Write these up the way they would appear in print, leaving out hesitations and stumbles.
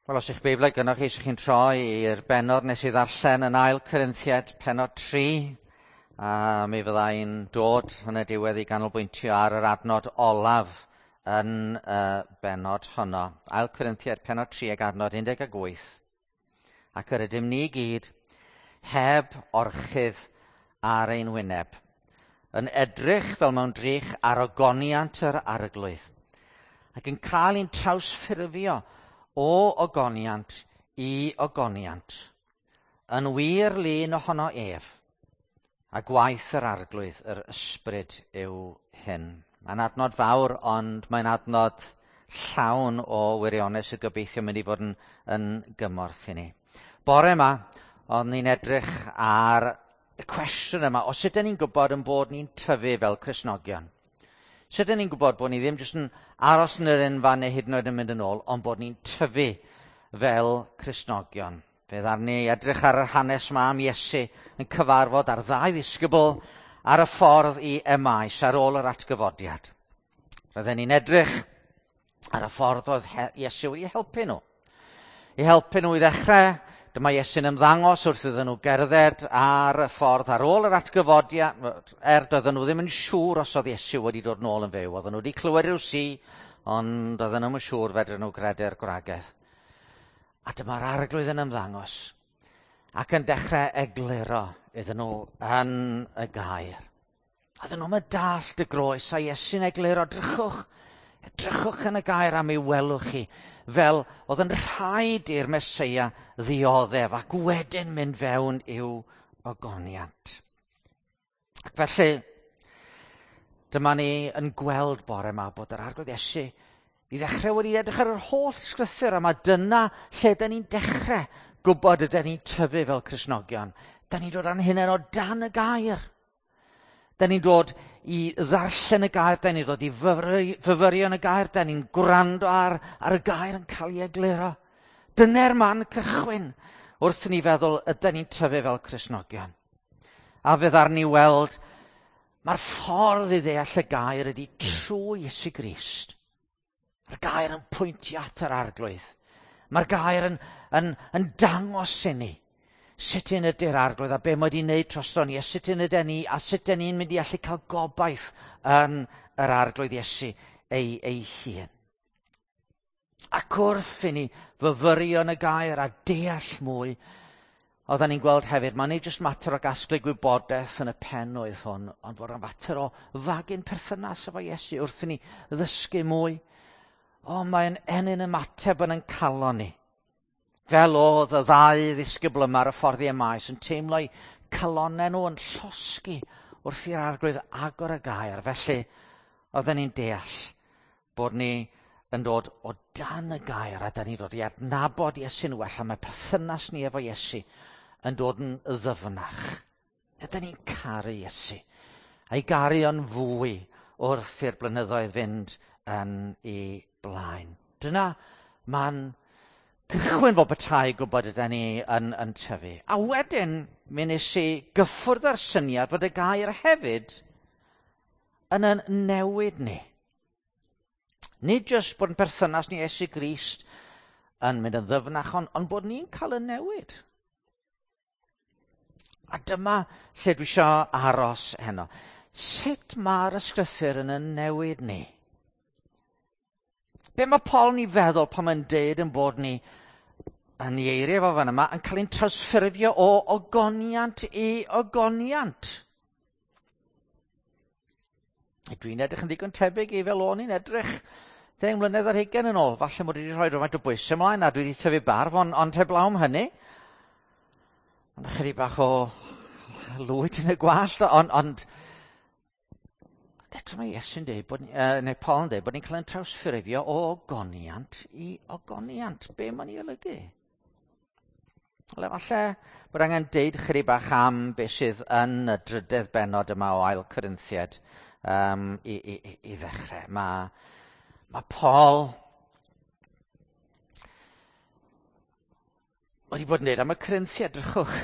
Wel, os eich Beiblau gynnwch chi, eisiau chi'n troi i'r bennod nes i ddarllen yn ail Corinthiad penod 3, a mi fyddai'n dod yn y diwedd i ganolbwyntio ar yr adnod olaf yn y bennod honno. Ail Corinthiad penod 3 ag adnod 18. Ac yr ydym ni gyd heb orchudd ar ein wyneb, yn edrych fel mewn drych ar ogoniant yr arglwydd, ac yn cael ein trawsffurfio o ogoniant i ogoniant, yn wir lun ohono ef, a gwaith yr arglwydd, yr ysbryd yw hyn. Mae'n adnod fawr, ond mae'n adnod llawn o wirionedd sydd gobeithio mynd i fod yn, yn gymorth i ni. Bore yma, ond ni'n edrych ar y cwestiwn yma, os ydyn ni'n gwybod yn bod ni'n tyfu fel Cristnogion? Sut ydyn ni'n gwybod bod ni ddim jyst yn aros yn yr unfan neu hyd yn oed yn mynd yn ôl, ond bod ni'n tyfu fel Cristnogion? Fe ddaru ni edrych ar yr hanes yma am Iesu yn cyfarfod ar ddau ddisgybl ar y ffordd i Emaus ar ôl yr atgyfodiad. Roedden ni'n edrych ar y ffordd oedd Iesu wedi helpu nhw. I helpu nhw i ddechrau, dyma Iesu'n ymddangos wrth iddyn nhw gerdded ar y ffordd ar ôl yr atgyfodiad, doedden nhw ddim yn siŵr os oedd Iesu wedi dod nôl yn fyw. Oedden nhw wedi clywed rhyw si, ond oedden nhw'n siŵr fedryn nhw gredu'r gwragedd. A dyma'r arglwydd yn ymddangos ac yn dechrau egluro iddyn nhw yn y gair. Oedden nhw'n dallt y groes a Iesu'n egluro, drychwch, edrychwch yn y gair am ei welwch chi, fel oedd yn rhaid i'r Meseia ddioddef ac wedyn mynd fewn i'w ogoniant. Ac felly, dyma ni yn gweld bore yma bod yr Arglwydd Iesu i ddechrau wedi edrych ar yr holl sgrythur, a mae dyna lle dyn ni'n dechrau gwybod ydyn ni'n tyfu fel Cristnogion. Dyn ni'n dod â'n hunain o dan y gair. Dyn ni'n dod i ddarllen y gair, dyn ni'n dod i fyfyrio yn y gair, dyn ni'n gwrando ar, ar y gair yn cael ei egluro. Dyna'r man cychwyn wrth ni feddwl ydyn ni'n tyfu fel Cristnogion. A fe ddaru ni weld mae'r ffordd i ddeall y gair ydy trwy Iesu Grist. Mae'r gair yn pwyntio at yr arglwydd. Mae'r gair yn, yn, yn dangos i ni sut un ydy'r arglwydd a be mae wedi wneud drosto ni, a sut un ydyn ni, a sut ydyn ni'n mynd i allu cael gobaith yn yr arglwydd Iesu ei, ei hun. Ac wrth i ni fyfyrio yn y gair a deall mwy, oedden ni'n gweld hefyd, mae'n nid jyst mater o gasglu gwybodaeth yn y pen oedd hwn, ond bod yn fater o fagu'n perthynas efo Iesu wrth i ni ddysgu mwy. O, mae'n ennyn ymateb yn ein calon ni. Fel oedd y ddau ddisgybl yma ar y ffordd i Emaus yn teimlo'u calonnau nhw yn llosgi wrth i'r arglwydd agor y gair. Felly, oedden ni'n deall bod ni yn dod o dan y gair a da ni'n dod i adnabod Iesu'n well a mae perthynas ni efo Iesu yn dod yn ddyfnach. Ydyn ni'n caru Iesu a'i garu o'n fwy wrth i'r blynyddoedd fynd yn ei blaen. Dyna ma'n cychwyn fod petai gwybod ydyn ni yn, yn tyfu. A wedyn, mi nes i gyffwrdd â'r syniad fod y gair hefyd yn yn newid ni. Nid jyst bod yn perthynas ni Iesu Grist yn mynd yn ddyfnach, ond, ond bod ni'n cael y newid. A dyma lle dwi eisiau aros heno. Sut mae'r ysgrythur yn yn newid ni? Be mae Paul yn ei feddwl pan mae'n deud yn bod ni yn ei eiriau fo fan yma yn cael ein trawsffurfio o ogoniant i ogoniant? Dwi'n edrych yn ddigon tebyg i fel o'n i'n edrych 10 mlynedd ar hugain yn ôl. Falle mod i wedi rhoi rhywfaint o bwysau ymlaen a dwi wedi tyfu barf, ond, ond heblaw am hynny. Ond ychydig bach o lwyd yn y gwallt, ond, ond eto mae Iesu'n dweud, bod, neu Paul yn dweud, bod ni'n cael ein trawsffurfio o ogoniant i ogoniant. Be mae'n ei olygu? Wel, efallai bod angen deud chydig bach am beth sydd yn y drydedd bennod yma o Ail Corinthiad um, i, i, i, i ddechrau. Mae, mae Paul wedi bod yn dweud am y Corinthiad, drychwch.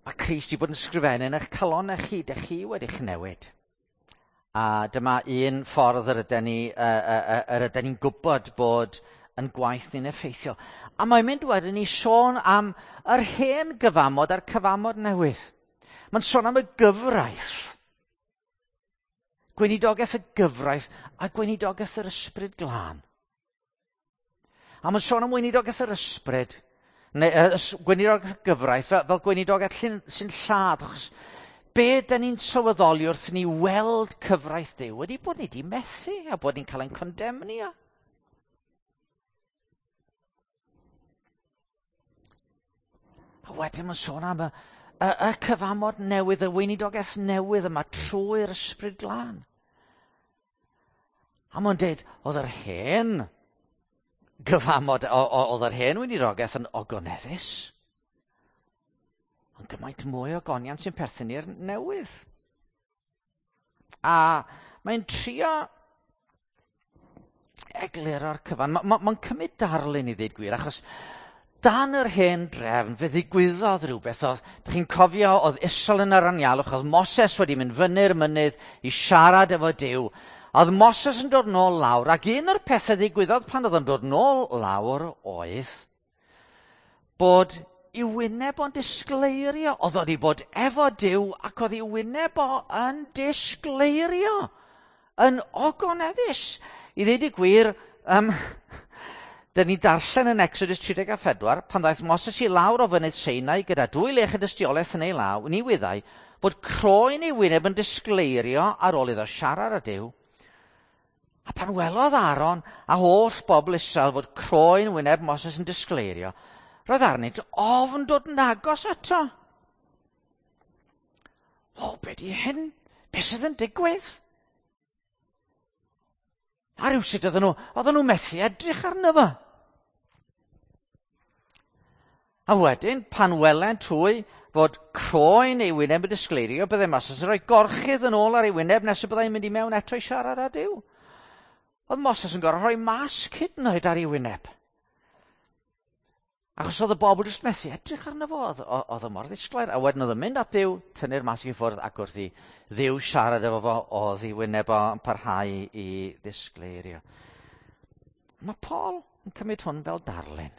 Mae Crist wedi bod yn sgrifennu yn eich calonnau chi, dych chi wedi'ch newid. A dyma un ffordd yr ydyn ni, yr ydyn ni'n gwybod bod yn gwaith ni'n effeithiol. A mae'n mynd wedyn i sôn am yr hen gyfamod a'r cyfamod newydd. Mae'n sôn am y gyfraith. Gweinidogaeth y gyfraith a gweinidogaeth yr ysbryd glân. A mae'n sôn am weinidogaeth yr ysbryd, neu gweinidogaeth y gyfraith, fel gweinidogaeth sy'n lladd, achos be dyn ni'n sylweddoli wrth ni weld cyfraith Duw ydy bod ni wedi methu a bod ni'n cael ein condemnio. A wedyn mae'n sôn am y cyfamod newydd, y weinidogaeth newydd yma trwy'r ysbryd glân. A mae'n dweud, oedd yr hen gyfamod, oedd yr hen weinidogaeth yn ogoneddus. Ond gymaint mwy o goniant sy'n perthyn i'r newydd. A mae'n trio egluro'r cyfan. Mae'n cymryd darlun i ddweud gwir, achos dan yr hen drefn fe ddigwyddodd rhywbeth. Oedd, dych chi'n cofio, oedd Israel yn yr anialwch, oedd Moses wedi mynd fyny'r mynydd i siarad efo Duw. Oedd Moses yn dod nôl lawr, ac un o'r pethau ddigwyddodd pan oedd yn dod nôl lawr oedd bod i wyneb o'n disgleirio. Oedd wedi bod efo Duw ac oedd i wyneb o yn disgleirio, yn ogoneddus. I ddweud y gwir, dyn ni darllen yn Exodus 34, pan ddaeth Moses i lawr o fynydd Sinai gyda dwy lech y dystiolaeth yn ei law, ni wyddai bod croen ei wyneb yn disgleirio ar ôl iddo siarad â Duw. A pan welodd Aaron a holl bobl Israel fod croen wyneb Moses yn disgleirio, roedd arnynt ofn dod yn agos ato. O, be di hyn? Be sydd yn digwydd? A rhywsut oedden nhw methu edrych arno fo. A wedyn, pan welent hwy fod croen ei wyneb yn disgleirio, byddai Moses yn rhoi gorchudd yn ôl ar ei wyneb nes y byddai'n mynd i mewn eto i siarad â Duw. Oedd Moses yn gorfod rhoi masg hyd yn oed ar ei wyneb. Achos oedd y bobl jyst methu edrych arno fo, oedd o mor ddisglair. A wedyn oedd yn mynd at Dduw, tynnu'r masg i ffwrdd, ac wrth i Dduw siarad efo fo, oedd ei wyneb o'n parhau i ddisgleirio. Mae Paul yn cymryd hwn fel darlun.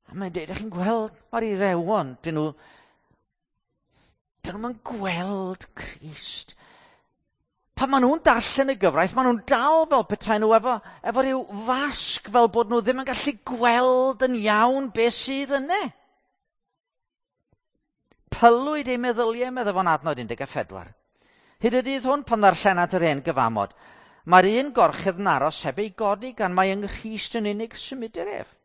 A mae'n dweud, ydych chi'n gweld, mae'r Iddewon, dyn nhw'n gweld Crist. Pan maen nhw'n darllen y gyfraith, maen nhw'n dal fel petai nhw efo rhyw fasg, fel bod nhw ddim yn gallu gweld yn iawn beth sydd yna. Pylwyd eu meddyliau, meddai fo'n adnod 14. Hyd y dydd hwn, pan ddarllenat yr hen gyfamod, mae'r un gorchudd yn aros heb ei godi gan mai yng Nghrist yn unig symudir ef.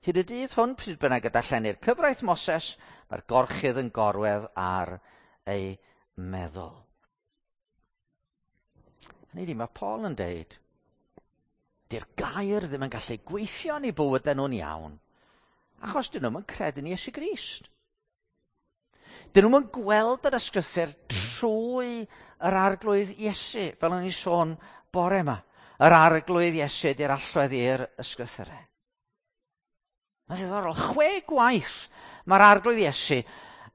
Hyd y dydd hwn, pryd bynnag y darllenir cyfraith Moses, mae'r gorchudd yn gorwedd ar ei meddwl. Hynny ydi, mae Paul yn deud, di'r gair ddim yn gallu gweithio yn eu bywydau nhw'n iawn, achos dyn nhw'm yn credu yn Iesu Grist. Dyn nhw'm yn gweld yr ysgrythur trwy yr Arglwydd Iesu, fel o'n i sôn bore yma. Yr Arglwydd Iesu ydy'r allwedd i'r ysgrythurau. Mae'n ddiddorol, 6 gwaith mae'r Arglwydd Iesu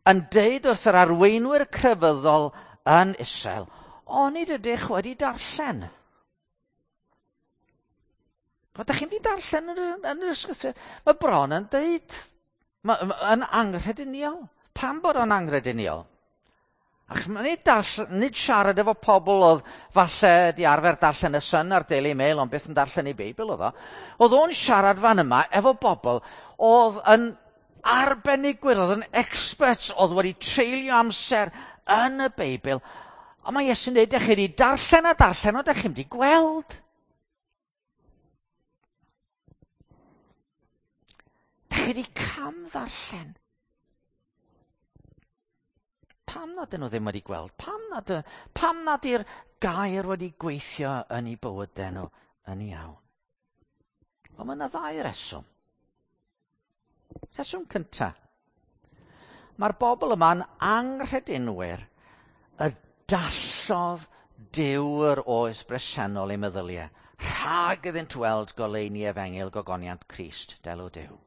yn deud wrth yr arweinwyr crefyddol yn Israel, onid ydych wedi darllen? Ydych chi'n wedi darllen yn yr ysgrythur? Mae bron yn deud, yn anghrediniol. Pam bod o'n anghrediniol? Achos mae nid siarad efo pobl oedd falle di arfer darllen y Sun a'r Daily Mail, ond byth yn darllen ei Beibl oedd o. Oedd o'n siarad fan yma efo bobl oedd yn arbenigwyr, oedd yn experts, oedd wedi treulio amser yn y Beibl. Ond mae Iesu'n dweud, dych chi wedi darllen a darllen, ond dych chi'n wedi gweld. Dych chi wedi cam ddarllen. Pam nad ydyn nhw ddim wedi gweld? Pam nad yw'r gair wedi gweithio yn eu bywydau nhw yn iawn? Wel, mae yna ddau reswm. Rheswm cyntaf. Mae'r bobl yma'n anghredinwyr y dallodd Duw yr oes bresennol eu meddyliau, rhag iddynt weld goleuni efengyl gogoniant Crist, delw Duw.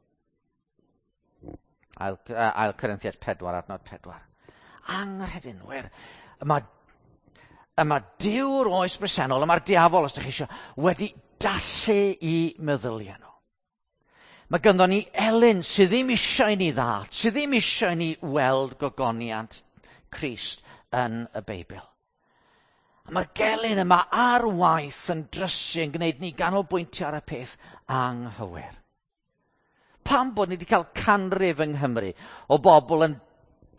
Ail Corinthiaid 4, adnod 4. Anghredinwyr. Yma Duw'r oes bresennol, yma'r diafol, os ydych chi eisiau, wedi dallu i meddyliau nhw. Mae ganddo ni elyn sydd ddim eisiau ni ddallt, sydd ddim eisiau ni weld gogoniant Crist yn y Beibl. A mae'r gelyn yma ar waith yn drysu yn gwneud ni ganolbwyntio ar y peth anghywir. Pam bod ni wedi cael canrif yng Nghymru o bobl yn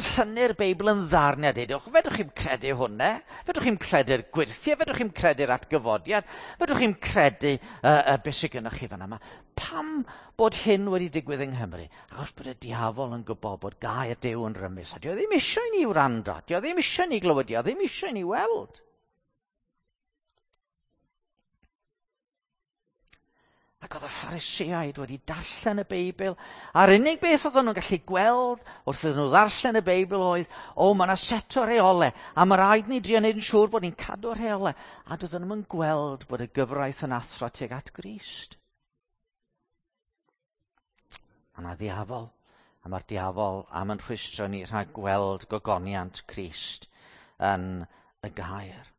tynnu'r Beibl yn ddarnau a dweud, fedrwch chi'm credu hwnna, fedrwch chi'm credu'r gwyrthiau, fedrwch chi'm credu'r atgyfodiad, fedrwch chi'm credu beth sydd gennych chi fan yma. Pam bod hyn wedi digwydd yng Nghymru? Achos bod y diafol yn gwybod bod gair Duw yn rymus, a dio ddim eisiau ni wrando, dio ddim eisiau ni glywed, dio ddim eisiau ni weld. Ac oedd y Phariseaid wedi darllen y Beibl, a'r unig beth oedden nhw'n gallu gweld wrth iddyn nhw ddarllen y Beibl oedd, o, mae yna set o reolau, a mae rhaid ni drio wneud yn siŵr bod ni'n cadw'r rheolau. A doedden nhw'n gweld bod y gyfraith yn athro tuag at Grist. Mae yna ddiafol, a mae'r diafol am yn rhwystro ni rhag gweld gogoniant Crist yn y gair.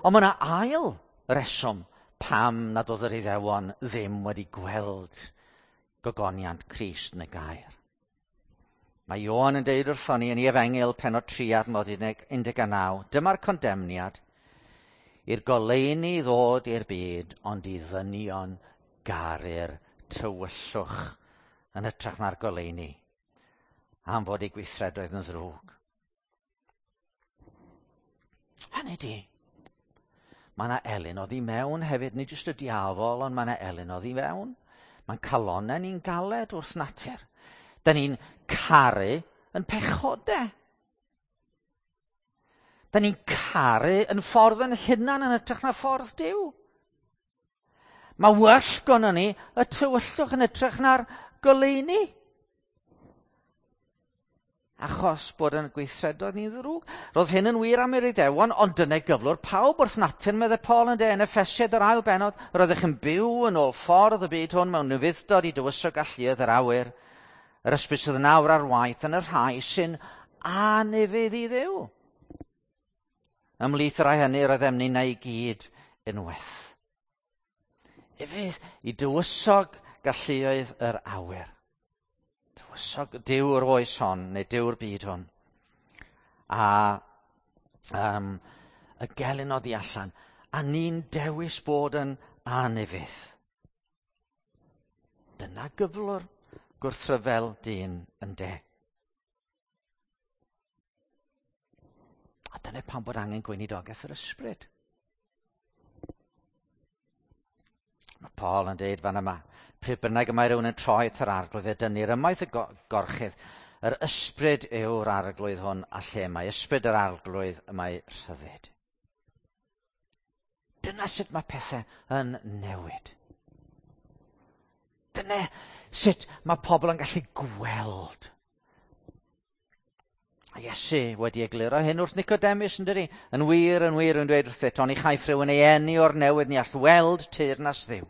Ond mae yna ail reswm pam nad oedd yr Iddewon ddim wedi gweld gogoniant Crist yn y gair. Mae Ioan yn deud wrthon ni yn ei Efengyl pennod 3 adnod 19, dyma'r condemniad i'r goleuni ddod i'r byd, ond i ddynion garu'r tywyllwch yn hytrach na'r goleuni, am fod eu gweithredoedd yn ddrwg. Hynny di, mae yna elyn oddi mewn hefyd, nid jyst y diafol, ond mae yna elyn oddi mewn. Mae'n calonnau ni'n galed wrth natur. Da ni'n caru yn pechodau. Da ni'n caru yn ffordd yn hunan yn hytrach na ffordd Duw. Mae well gynnon ni y tywyllwch yn hytrach na'r goleuni. Achos bod yn gweithredoedd ni'n ddrwg. Roedd hyn yn wir am yr Iddewon, ond dyna gyflwr pawb wrth natur, meddai Paul yn de, yn Effesiaid yr ail bennod, roeddech yn byw yn ôl ffordd y byd hwn mewn ufudd-dod i dywysog alluoedd yr awyr, yr ysbryd sydd yn awr ar waith yn y rhai sy'n anufudd i Dduw. Ymhlith y rhai hynny roeddem ninnau i gyd unwaith. Ufudd i dywysog galluoedd yr awyr. Tywysog Duw'r oes hon, neu Duw'r byd hwn. A y gelyn oddi allan. A ni'n dewis bod yn anufudd. Dyna gyflwr gwrthryfel dyn yn de. A dyna pam bod angen gweinidogaeth yr ysbryd. Mae Paul yn deud fan yma, pryd bynnag y mae rhywun yn troi at yr arglwydd, fe dynnir ymaith y gorchudd. Yr ysbryd yw'r arglwydd hwn, a lle mae ysbryd yr arglwydd y mae rhyddid. Dyna sut mae pethau yn newid. Dyna sut mae pobl yn gallu gweld. A Iesu wedi egluro hyn wrth Nicodemus, yn dydi? Yn wir, yn dweud wrthyt, oni chaiff rhywun ei eni o'r newydd, ni all weld teyrnas Dduw.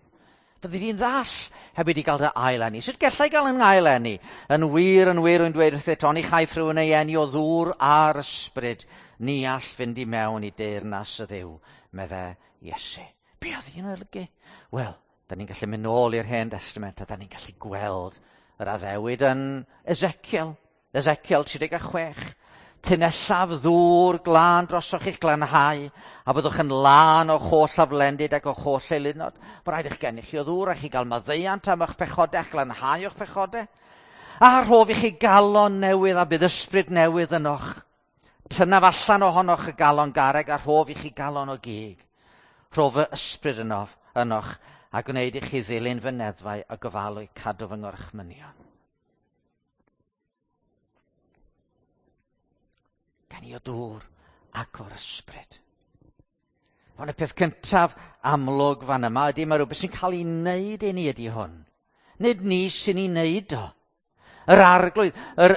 Byddi di'n ddall heb wedi gael dy ail eni. Sut gallai gael yn ail eni? Yn wir, yn dweud wrthyt, oni chaiff rhywun ei eni o ddŵr a'r ysbryd, ni all fynd i mewn i deyrnas y Dduw, meddai Iesu. Be oedd hi'n olygu? Wel, da ni'n gallu mynd nôl i'r Hen Testament a da ni'n gallu gweld yr addewid yn Ezekiel. Ezekiel 36. Tynellaf ddŵr glân drosoch i'ch glanhau, a byddwch yn lân o'ch holl aflendid ac o'ch holl eilunod. Mae rhaid eich gennych chi o ddŵr a chi gael maddeuant am eich pechodau, a'ch glanhau o'ch pechodau. A rhof i chi galon newydd a bydd ysbryd newydd ynoch. Tynnaf allan ohonoch y galon garreg a rhof i chi galon o gig. Rhof y ysbryd ynoch a gwneud i chi ddilyn fy neddfau a gofalu cadw fy ngorchmynion. Gan i o dŵr ac o'r ysbryd. Ond y peth cyntaf amlwg fan yma ydy mae rhywbeth sy'n cael ei wneud i ni ydy hwn. Nid ni sy'n ei wneud o. Yr arglwydd, yr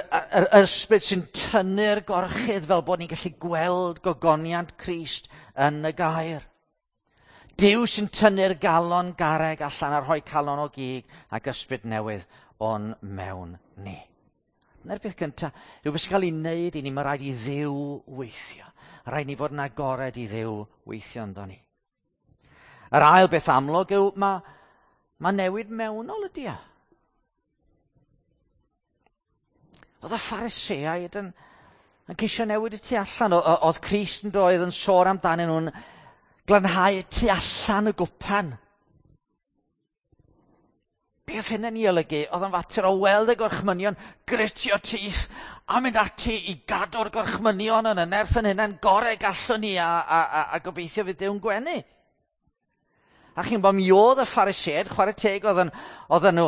ysbryd sy'n tynnu'r gorchudd fel bod ni'n gallu gweld gogoniant Crist yn y gair. Duw sy'n tynnu'r galon garreg allan a rhoi calon o gig ac ysbryd newydd o'n mewn ni. Dyna'r peth cyntaf, rhywbeth sy'n cael ei wneud i ni, mae rhaid i Dduw weithio. Rhaid ni fod yn agored i Dduw weithio ynddo ni. Yr ail beth amlwg yw mae newid mewnol ydy e. Oedd y Phariseaid yn ceisio newid y tu allan. Oedd Crist yn doedd yn sôn amdanyn nhw'n glanhau y tu allan y gwpan. Beth hyn yn ei olygu? Oedd yn fater o weld y gorchmynion, gritio teeth, a mynd ati i gadw'r gorchmynion yn y nerth yn hynna'n gorau gallwn ni a gobeithio fydd Duw'n gwenu. A chi'n bod, mi oedd y Phariseaid, chwarae teg, oedden nhw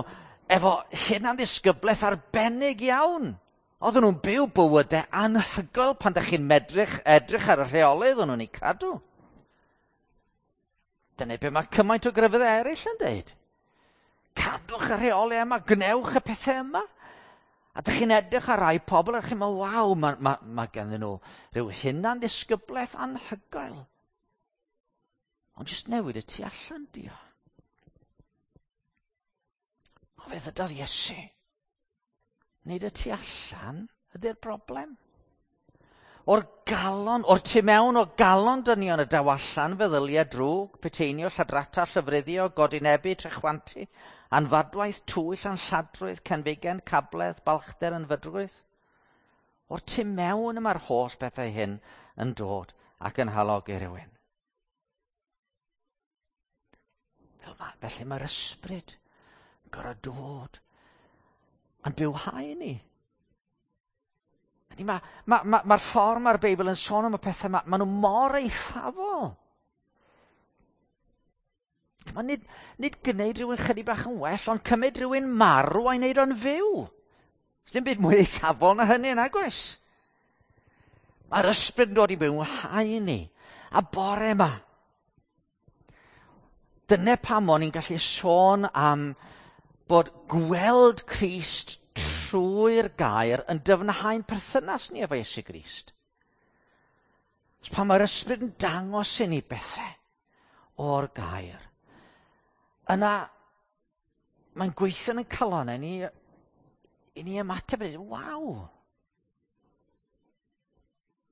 efo hunan-ddisgyblaeth arbennig iawn. Oedden nhw'n byw bywydau anhygoel pan ydych chi'n edrych ar y rheolydd o'n nhw'n eu cadw. Dyna be mae cymaint o grefyddau eraill yn dweud. Cadwch y rheolau yma, gwnewch y pethau yma. A ydych chi'n edrych ar rai pobl a chi'n meddwl, waw, mae ganddyn nhw rhyw hunan-ddisgyblaeth anhygoel. Ond jyst newid y tu allan, dio. O, fe ddydodd Iesu. Nid y tu allan ydy'r broblem. O'r galon, o'r tu mewn o galon dynion y daw allan feddyliau drwg, peteinio, lladrata, llyfruddio, godinebu, trechwantu, anfadwaith, twyll, anlladrwydd, cenfigen, cabledd, balchder, ynfydrwydd. O'r tu mewn y mae'r holl bethau hyn yn dod ac yn halogi rhywun. Felly mae'r ysbryd yn gorfod dod a'n bywhau ni. Mae'r ffordd mae'r Beibl yn sôn am y pethau, maen nhw mor eithafol. Mae nid gwneud rhywun chydig bach yn well, ond cymryd rhywun marw a'i wneud o'n fyw. Dim byd mwy eithafol na hynny, nag oes? Mae'r ysbryd yn dod i bywhau ni. A bore yma, dyna pam o'n i'n gallu sôn am bod gweld Crist trwy'r gair yn dyfnhau'n perthynas ni efo Iesu Grist. Pan mae'r ysbryd yn dangos i ni bethau o'r gair, yna mae'n gweithio yn y calonnau ni i ni ymateb, waw!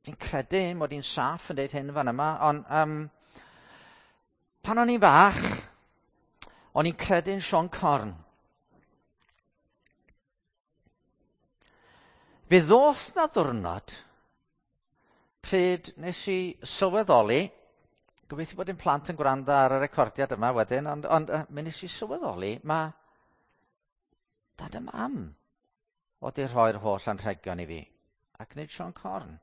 Fi'n credu mod i'n saff yn dweud hyn fan yma, ond pan o'n i'n fach, o'n i'n credu'n Siôn Corn. Fe ddoth na ddwrnod pryd nes i sylweddoli, gobeithio bod ein plant yn gwrando ar y recordiad yma wedyn, ond mi nes i sylweddoli, mae dad a mam oedd wedi rhoi'r holl anrhegion i fi, ac nid Siôn Corn.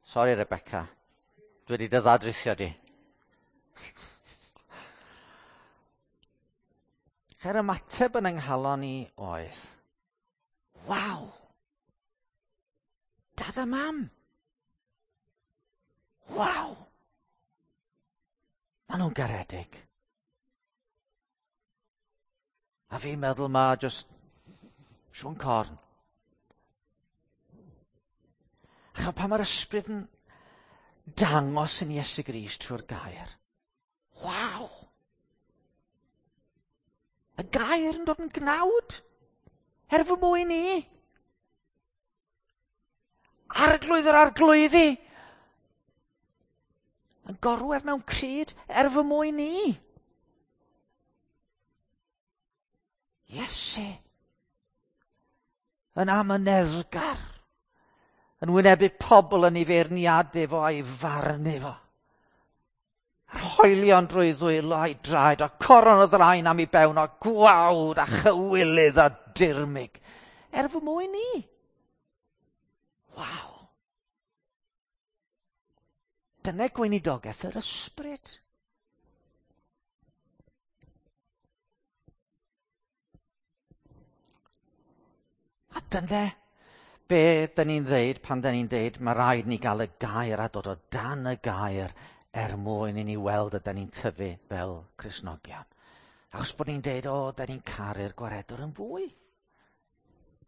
Sori Rebecca, dwi wedi dy ddadrithio di. Yr ymateb yn ynghalon i oedd, waw, dad a mam, waw, maen nhw'n garedig. A fi'n meddwl ma just Siôn Corn. A pan mae'r ysbryd yn dangos yn Iesu Grist trwy'r gair, waw! Y gair yn dod yn gnawd, er fy mwyn i. Arglwydd yr arglwyddi, yn gorwedd mewn cryd er fy mwyn i. Iesu, yn amyneddgar, yn wynebu pobl yn ei feirniadu fo a'i farnu fo. Yr hoelion drwy ddwylo a'i draed, a coron o ddraen am ei bewn, o gwawd a chywilydd a dirmyg. Er fy mwyn i. Waw. Dyna gweinidogaeth yr ysbryd. A dyna be dyn ni'n ddeud pan dyn ni'n deud mae rhaid ni gael y gair a dod o dan y gair er mwyn i ni weld ydyn ni'n tyfu fel Cristnogion. Achos bod ni'n deud, o, dyn ni'n caru'r gwaredwr yn fwy.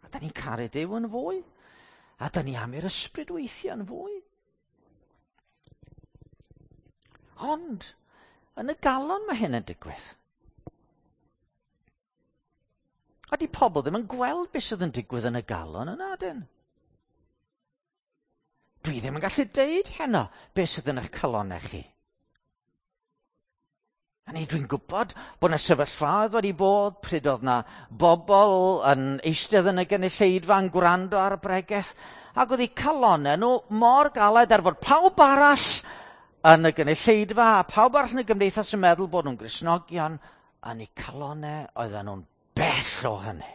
A dyn ni'n caru Duw yn fwy. A dyn ni am i'r ysbryd weithio yn fwy. Ond, yn y galon mae hyn yn digwydd. A di pobl ddim yn gweld beth sydd yn digwydd yn y galon yna, dyn. Dwi ddim yn gallu deud heno beth sydd yn eich calonau chi. A ni, dwi'n gwybod bod yna sefyllfaoedd wedi bod pryd oedd yna bobl yn eistedd yn y gynulleidfa yn gwrando ar y bregeth, ac oedd eu calonau nhw mor galed er fod pawb arall yn y gynulleidfa a pawb arall yn y gymdeithas yn meddwl bod nhw'n Gristnogion, yn eu calonau oedden nhw'n bell o hynny.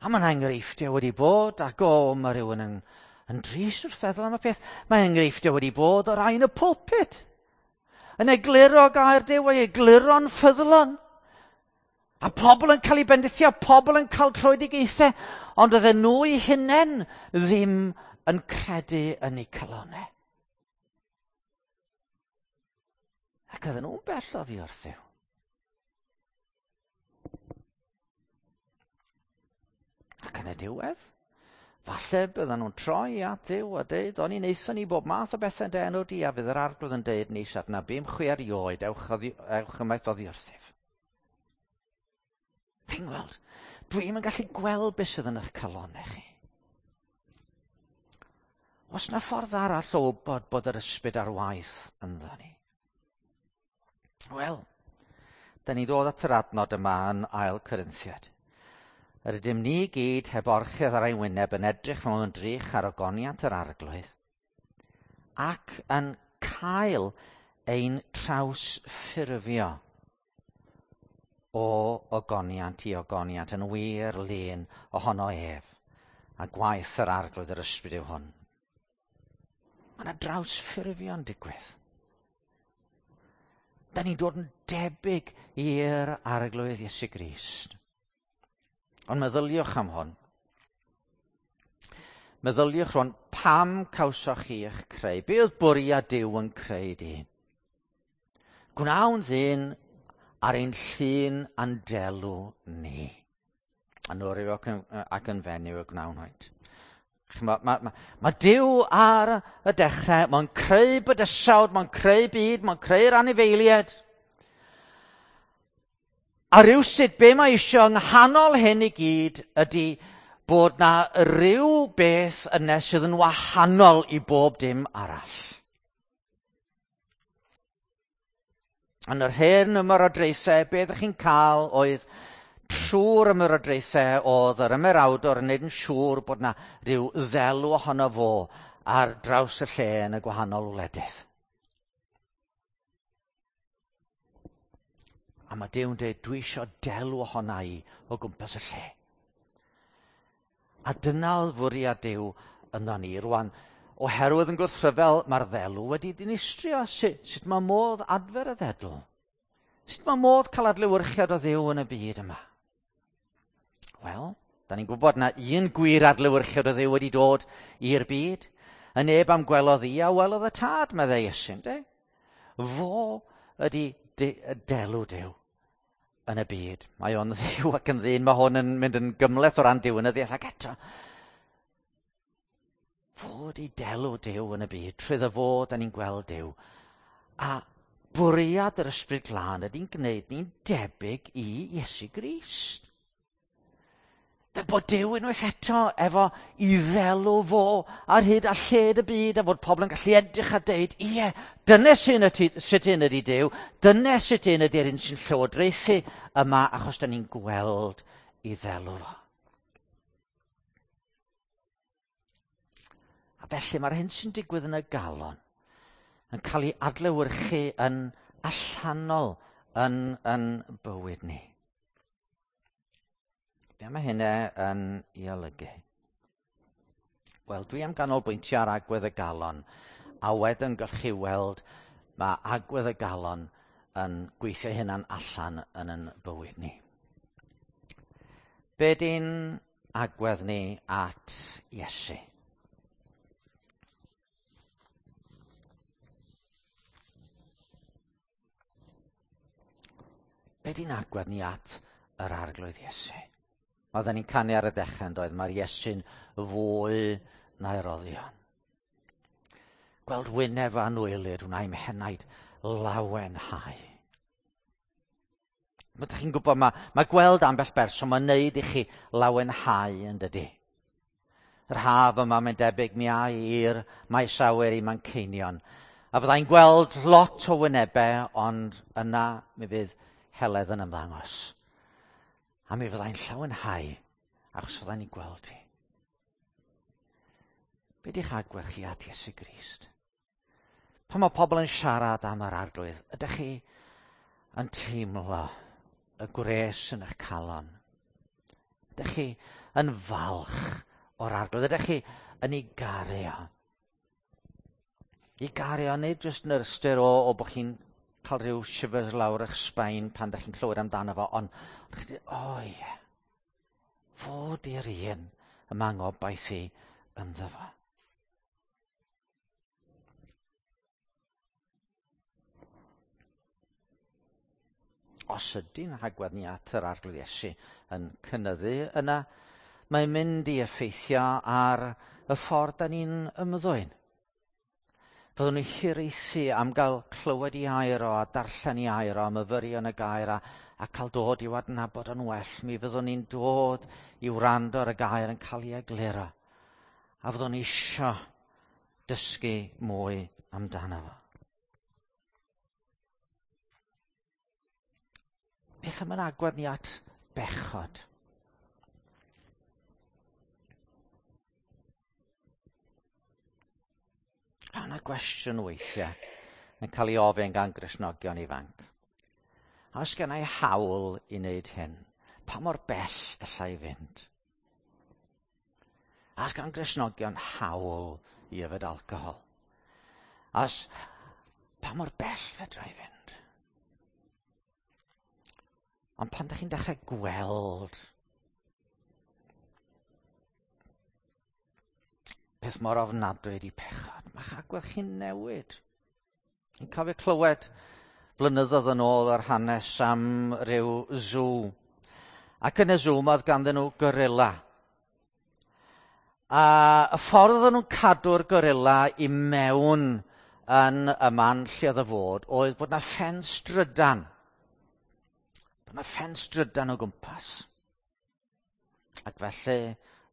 A mae yna enghreifftiau wedi bod, ac o, mae rhywun yn drist wrth feddwl am y peth. Mae enghreifftiau wedi bod o rai yn y pulpit. Yn egluro gair Duw, ei egluro'n ffyddlon. A pobl yn cael eu bendithio, pobl yn cael tröedigaethau, ond oedden nhw eu hunain ddim yn credu yn eu calonau. Ac oedden nhw'n bell oddi wrth Dduw. Ac yn y diwedd, falle bydden nhw'n troi at Dduw a deud, o'n i'n eithon ni bob math o bethau yn dy enw di, a fydd yr Arglwydd yn deud, nis adnabûm chwi erioed, ewch ymaith oddi wrthyf. Chi'n gweld? Dwi'm yn gallu gweld beth sydd yn eich calonau chi. Oes na ffordd arall o wybod bod yr ysbryd ar waith ynddo ni? Wel, da ni ddod at yr adnod yma yn Ail Corinthiaid. Yr ydym ni gyd heb orchudd ar ein wyneb yn edrych mewn ymdrech ar ogoniant yr Arglwydd ac yn cael ein trawsffurfio o ogoniant i ogoniant yn wir lun ohono ef, a gwaith yr Arglwydd yr Ysbryd yw hwn. Mae yna drawsffurfio'n digwydd. Da ni'n dod yn debyg i'r Arglwydd Iesu Grist. Ond meddyliwch am hwn. Meddyliwch rwan, pam cawsoch chi eich creu? Be oedd bwriad Duw yn creu dyn? Gwnawn ddyn ar ein llun a'n delw ni. A nhw ac yn fenyw y gwnawn hwynt. Mae Duw ar y dechrau, mae'n creu bydysawd, mae'n creu byd, mae'n creu'r anifeiliaid. A rywsut, be mae eisiau yng nghanol hyn i gyd ydy bod na ryw beth yna sydd yn wahanol i bob dim arall. Yn yr hen ymerodraethau, be ydych chi'n cael oedd trwy'r ymerodraethau oedd yr ymerawdwr yn neud yn siŵr bod na rhyw ddelw ohono fo ar draws y lle yn y gwahanol wledydd. A mae Duw'n dweud, dwi eisiau delw ohona i o gwmpas y lle. A dyna oedd fwriad Duw ynddo ni. Rwan, oherwydd yn gwrthryfel, mae'r ddelw wedi dinistrio. Sut mae modd adfer y ddedl? Sut mae modd cael adlewyrchiad o Dduw yn y byd yma? Wel, da ni'n gwybod na un gwir adlewyrchiad o Dduw wedi dod i'r byd. Y neb am gwelodd i a welodd y tad, meddai Iesu, ynde? Fo ydy delw Duw yn y byd. Mae o'n dduw ac yn ddyn, mae hwn yn mynd yn gymhleth o ran diwinyddiaeth ac eto. Fo ydy delw Duw yn y byd, trwy fo da ni'n gweld Duw. A bwriad yr Ysbryd Glân ydy'n gwneud ni'n debyg i Iesu Grist. Fe bod Duw unwaith eto efo i ddelw fo ar hyd a lled y byd a bod pobl yn gallu edrych a deud, ie, dyna sut un ydy Duw, dyna sut un ydy'r un sy'n llywodraethu yma achos da ni'n gweld i ddelw fo. A felly mae'r hyn sy'n digwydd yn y galon yn cael ei adlewyrchu yn allanol yn bywyd ni. Be mae hynna yn ei olygu? Wel, dwi am ganolbwyntio ar agwedd y galon, a wedyn gallwch chi weld mae agwedd y galon yn gweithio hynna'n allan yn yn bywyd ni. Be di'n agwedd ni at Iesu? Be di'n agwedd ni at yr Arglwydd Iesu? Oedden ni'n canu ar y dechrau yn doedd, mae'r Iesu'n fwy na'i roddion. Gweld wyneb anwylyd, wna i'm henaid lawenhau. Mae ydych chi'n gwybod, mae gweld ambell berson, mae'n neud i chi lawenhau yn dydy. Yr haf yma mae'n debyg mi ai i'r maes awyr i Manceinion. A fyddai'n gweld lot o wynebau, ond yna mi fydd Heledd yn ymddangos. A mi fyddai'n llawenhau, achos fyddai'n ei gweld hi. Be di'ch agwedd chi at Iesu Grist? Pan mae pobl yn siarad am yr arglwydd, ydych chi yn teimlo y gwres yn eich calon? Ydych chi yn falch o'r arglwydd? Ydych chi yn ei garu o? I garu o, nid jyst yn yr ystyr o, o bod chi'n cael rhyw shivers lawr eich sbaen pan ydych chi'n clywed amdano fo, ond chi'n dweud, o ie, fod i'r un y mae ngobaith i ynddo fo. Os ydy'n hagwedd ni at yr arglwydd Iesu yn cynyddu yna, mae'n mynd i effeithio ar y ffordd da ni'n ymddwyn. Fyddwn ni'n hiraethu am gael clywed i air o a darllen i air o a myfyrio yn y gair a, a cael dod i'w adnabod yn well. Mi fyddwn ni'n dod i wrando ar y gair yn cael ei egluro. A fyddwn ni isio dysgu mwy amdano fo. Beth am yn agwedd ni at bechod? A yna gwestiwn weithiau yn cael ei ofyn gan Gristnogion ifanc. A oes gen i hawl i wneud hyn? Pa mor bell alla i fynd? A oes gan Gristnogion hawl i yfed alcohol? A oes, pa mor bell fedra i fynd? Ond pan ydych chi'n dechrau gweld peth mor ofnadwy ydi pechod, mae'ch agwedd chi'n newid. Yn cofio clywed blynyddoedd yn ôl yr hanes am ryw zoo. Ac yn y zoo oedd ganddyn nhw gorilla. A y ffordd oedden nhw'n cadw'r gorilla i mewn yn y man lle oedd y fod oedd bod na ffens drydan. Bod na ffens drydan o gwmpas. Ac felly,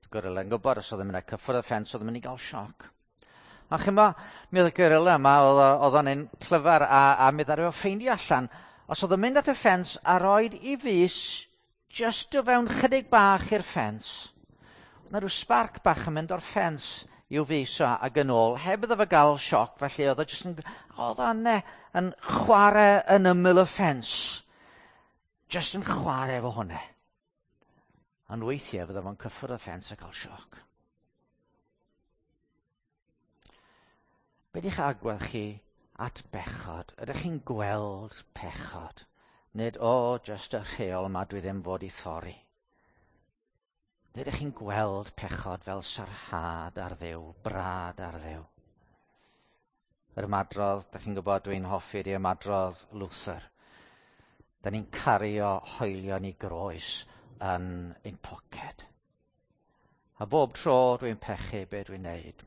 oedd gorilla yn gwybod os oedd yn mynd â cyffwrdd y ffens, oedd yn mynd i gael sioc. A chymod, mi oedd y gorilla yma, oedd o'n un clyfar, a, a mi ddaru o ffeindio allan, os oedd yn mynd at y ffens a roed i fus just o fewn chydig bach i'r ffens, oedd 'na rhyw sbarc bach yn mynd o'r ffens i'w fus o ac yn ôl, heb iddo fo gael sioc, felly oedd o jyst yn, oedd o'n yn chwarae yn ymyl y ffens. Jyst yn chwarae efo hwnna. Ond weithiau fydda fo'n cyffwrdd y ffens a cael sioc. Be di'ch agwedd chi at bechod? Ydych chi'n gweld pechod? Nid, o, oh, just y rheol yma dwi ddim fod i thorri. Nid ydych chi'n gweld pechod fel sarhad ar Dduw, brad ar Dduw. Yr ymadrodd, da chi'n gwybod dwi'n hoffi di ymadrodd Luther. Da ni'n cario hoelion i groes yn ein poced. A bob tro dwi'n pechu be dwi'n neud,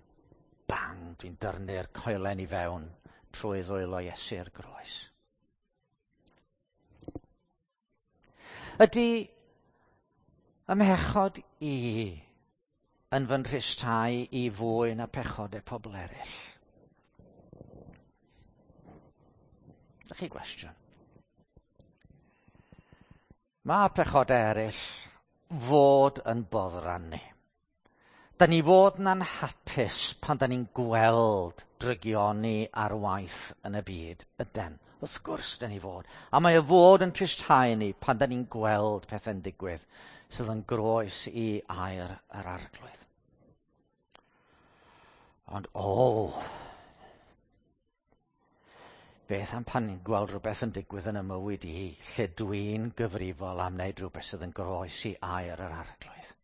bang, dwi'n dyrnu'r coelen i fewn trwy ddwylo Iesu'r groes. Ydy ymhechod i yn fy nhristau i fwy na pechodau pobl eraill? Dych chi gwestiwn? Mae pechodau eraill fod yn boddran ni. Da ni fod yn anhapus pan da ni'n gweld drygioni ar waith yn y byd, yden. Wrth gwrs da ni fod. A mae o fod yn tristau ni pan da ni'n gweld pethau'n digwydd sydd yn groes i air yr arglwydd. Ond o, beth am pan ni'n gweld rhywbeth yn digwydd yn y mywyd i, lle dwi'n gyfrifol am wneud rhywbeth sydd yn groes i air yr arglwydd?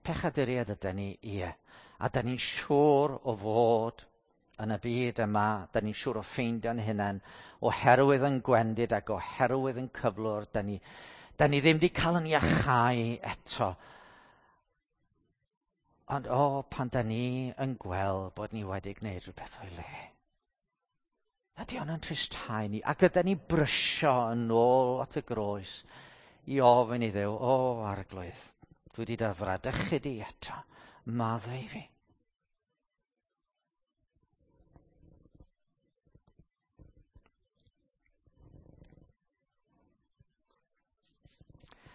Pechaduriaid ydy ni, ie. A da ni'n siŵr o fod yn y byd yma, da ni'n siŵr o ffeindio'n hunain, oherwydd yn gwendid ac oherwydd yn cyflwr, da ni, da ni ddim wedi cael yn iachau eto. Ond o, pan da ni yn gweld bod ni wedi gwneud rhywbeth o'i le. Ydy hwn yn tristau ni, ac ydy ni brysio yn ôl at y groes i ofyn i Dduw, o arglwydd, Dwi wedi dy fradychu di eto. Maddau i fi.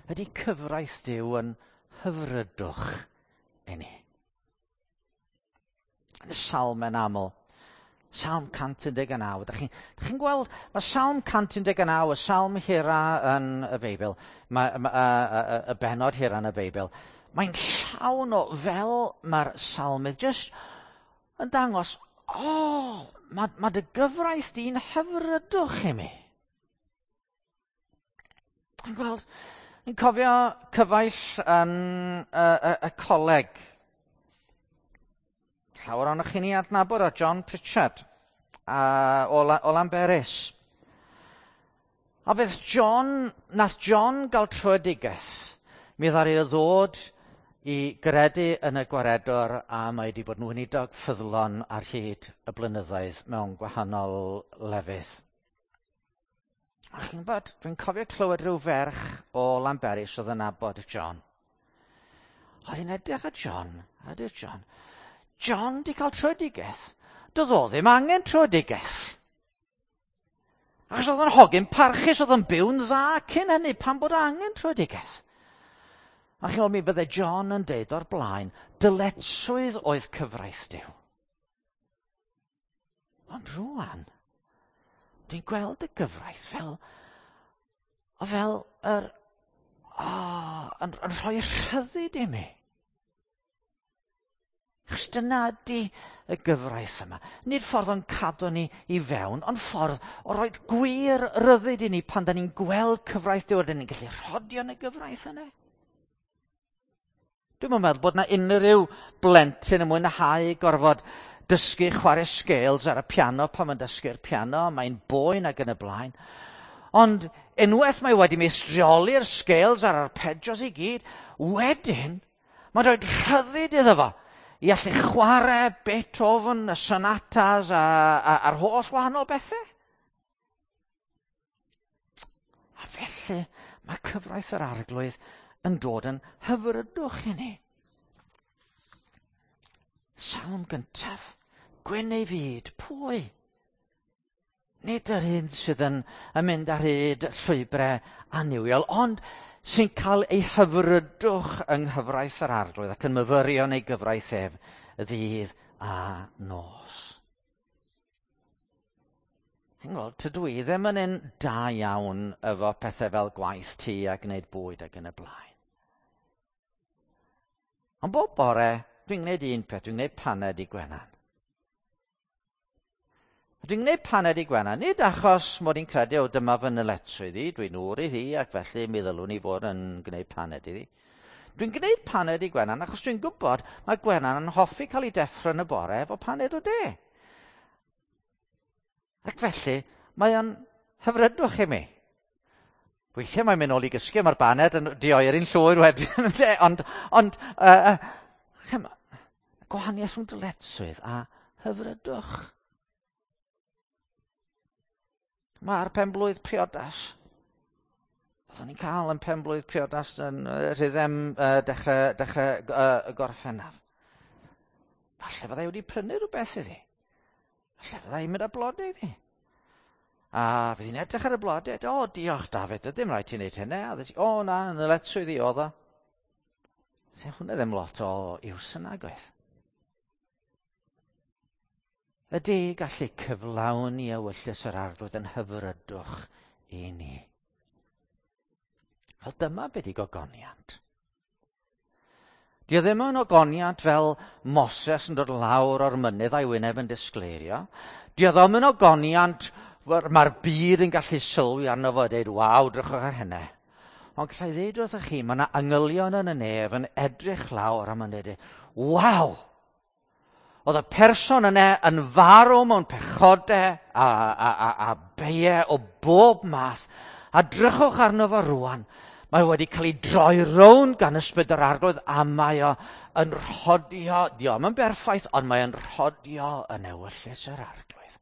Ydy cyfraith Duw yn hyfrydwch i ni? Yn y salm yn aml, Salm 119. Dych chi'n chi gweld, mae Salm 119, y salm hira yn y Beibl, mae, ma, y bennod hira yn y Beibl, mae'n llawn o fel mae'r salmydd jyst yn dangos, o, oh, mae, ma dy gyfraith di'n hyfrydwch i mi. Chi'n gweld, ni'n cofio cyfaill yn y coleg. Llawer ohonoch chi'n ei adnabod o, John Pritchard o Lamberis. A fydd John, nath John gael tröedigaeth, mi ddaru o ddod i gredu yn y gwaredwr a mae wedi bod yn weinidog ffyddlon ar hyd y blynyddoedd mewn gwahanol lefydd. A chi'n gwybod, dwi'n cofio clywed rhyw ferch o Lamberis oedd yn nabod John. Oedd hi'n edrych ar John, a dweud John, John di cael tröedigaeth. Doedd o ddim angen tröedigaeth. Achos oedd o'n hogyn parchus, oedd o'n byw'n dda cyn hynny, pan bod o angen tröedigaeth. A chi'n gwybod, mi bydde John yn deud o'r blaen, dyletswydd oedd cyfraith Duw. Ond rwan, dwi'n gweld y gyfraith fel, o fel yr, o, yn, yn rhoi rhyddid i mi. Achos dyna ydy y gyfraith yma. Nid ffordd o'n cadw ni i fewn, ond ffordd o roi gwir ryddid i ni pan da ni'n gweld cyfraith Duw, a da ni'n gallu rhodio yn y gyfraith yna. Dwi'm yn meddwl bod 'na unrhyw blentyn yn mwynhau gorfod dysgu chwarae scales ar y piano pan mae'n dysgu'r piano, mae'n boen ac yn y blaen. Ond unwaith mae wedi meistrioli'r scales a'r arpeggios i gyd, wedyn mae'n rhoi rhyddid iddo fo i allu chwarae Beethoven, y sonatas a'r holl wahanol bethau. A felly mae cyfraith yr Arglwydd yn dod yn hyfrydwch i ni. Salm gyntaf, gwyn ei fyd, pwy? Nid yr un sydd yn mynd ar hyd llwybrau annuwiol, ond sy'n cael ei hyfrydwch yng nghyfraith yr Arglwydd ac yn myfyrio yn ei gyfraith ef ddydd a nos. Chi'n gweld, tydw i ddim yn un da iawn efo pethau fel gwaith tŷ a gwneud bwyd ac yn y blaen. Ond bob bore, dwi'n gwneud un peth, dwi'n gwneud paned i Gwenan. A dwi'n gwneud paned i Gwenan, nid achos mod i'n credu, o dyma fy nyletswydd i, dwi'n ŵr iddi ac felly mi ddylwn i fod yn gwneud paned iddi. Dwi'n gwneud paned i Gwenan achos dwi'n gwybod mae Gwenan yn hoffi cael ei deffro yn y bore efo paned o de. Ac felly, mae o'n hyfrydwch i mi. Weithiau mae'n mynd nôl i gysgu, mae'r baned yn dioeri'n llwyr wedyn, ynde? Ond gwahaniaeth rhwng dyletswydd a hyfrydwch. Mae'r penblwydd priodas. Oeddwn ni'n cael yn penblwydd priodas yn rhyddem dechrau Gorffennaf. Falle fyddai wedi prynu rhywbeth iddi. Falle fyddai i'n mynd â blodau iddi. A fydd hi'n edrych ar y blodau, o, diolch David, ddim rhaid ti'n neud hynny. A ddweud, o na, yn ddyletswydd i oedd o. Sef hwnna ddim lot o iws yna, gwaith. Ydy gallu cyflawni ewyllys yr Arglwydd yn hyfrydwch i ni. Wel, dyma beth i gogoniant. Di o ddim yn ogoniant fel Moses yn dod lawr o'r mynydd a'i wyneb yn disgleirio. Di o ddim yn ogoniant mae'r byd yn gallu sylwi arno fo a dweud, waw, drychwch ar hynny. Ond gallai ddeud wrthych chi, mae yna angylion yn y nef yn edrych lawr a mae'n dweud, waw! Oedd y person yna yn farw mewn pechodau a beiau o bob math. A drychwch arno fo rwan. Mae wedi cael ei droi rownd gan ysbryd yr Arglwydd a mae o yn rhodio, dio'm yn berffaith, ond mae o'n rhodio yn ewyllys yr Arglwydd.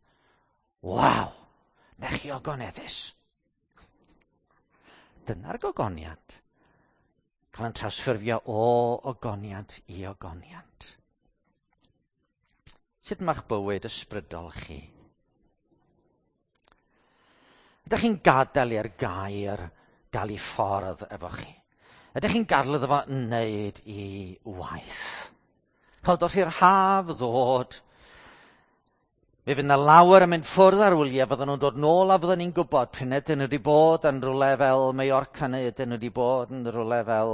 Waw! Na chi ogoneddus. Dyna'r gogoniant. Cael yn trawsffurfio o ogoniant i ogoniant. Sut mae'ch bywyd ysbrydol chi? Ydych chi'n gadael i'r gair gael ei ffordd efo chi? Ydych chi'n gadael iddo fo wneud i waith? Chod, wrth i'r haf ddod, mi fydd yna lawer yn mynd ffwrdd ar wyliau, fydden nhw'n dod nôl a fydden ni'n gwybod pryn ydyn nhw wedi bod yn rhywle fel Mallorca neu ydyn nhw wedi bod yn rhywle fel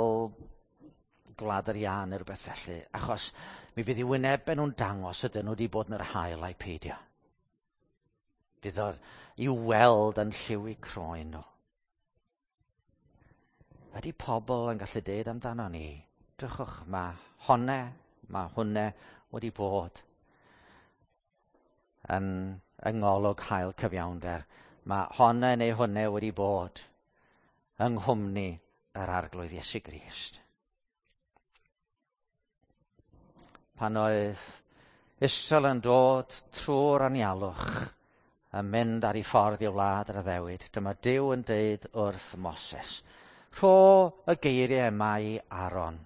Gwlad yr Iâ neu rhywbeth felly, achos mi fydd i wynebau nhw'n dangos ydyn nhw wedi bod yn yr haul a'i peidio. Bydd o'r i'w weld yn lliw eu croen nhw. Ydy pobl yn gallu deud amdano ni, drychwch, mae honne, mae hwnne wedi bod yn yng ngolwg hael cyfiawnder. Mae honne neu hwnne wedi bod yng nghwmni yr Arglwydd Iesu Grist. Pan oedd Israel yn dod trwy'r anialwch yn mynd ar ei ffordd i wlad yr addewid, dyma Duw yn deud wrth Moses, rho y geiriau yma i Aaron.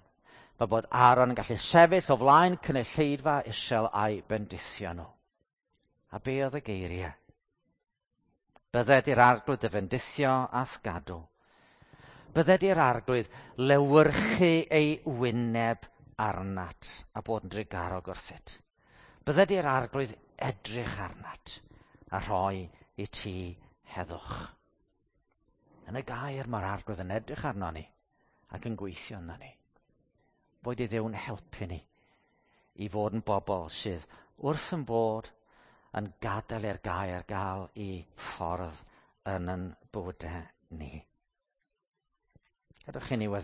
Mae bod Aaron yn gallu sefyll o flaen cynulleidfa Israel a'i bendithio nhw. A be oedd y geiriau? Bydded i'r arglwydd dy fendithio a'th gadw. Bydded i'r arglwydd lewyrchu ei wyneb arnat a bod yn drugarog wrthyt. Bydded i'r arglwydd edrych arnat a rhoi i ti heddwch. Yn y gair mae'r arglwydd yn edrych arno ni ac yn gweithio yna ni. Boed i Dduw'n helpu ni i fod yn bobl sydd wrth yn bod yn gadael i'r gair gael i ffordd yn yn bywydau ni. Gadewch i ni weddio.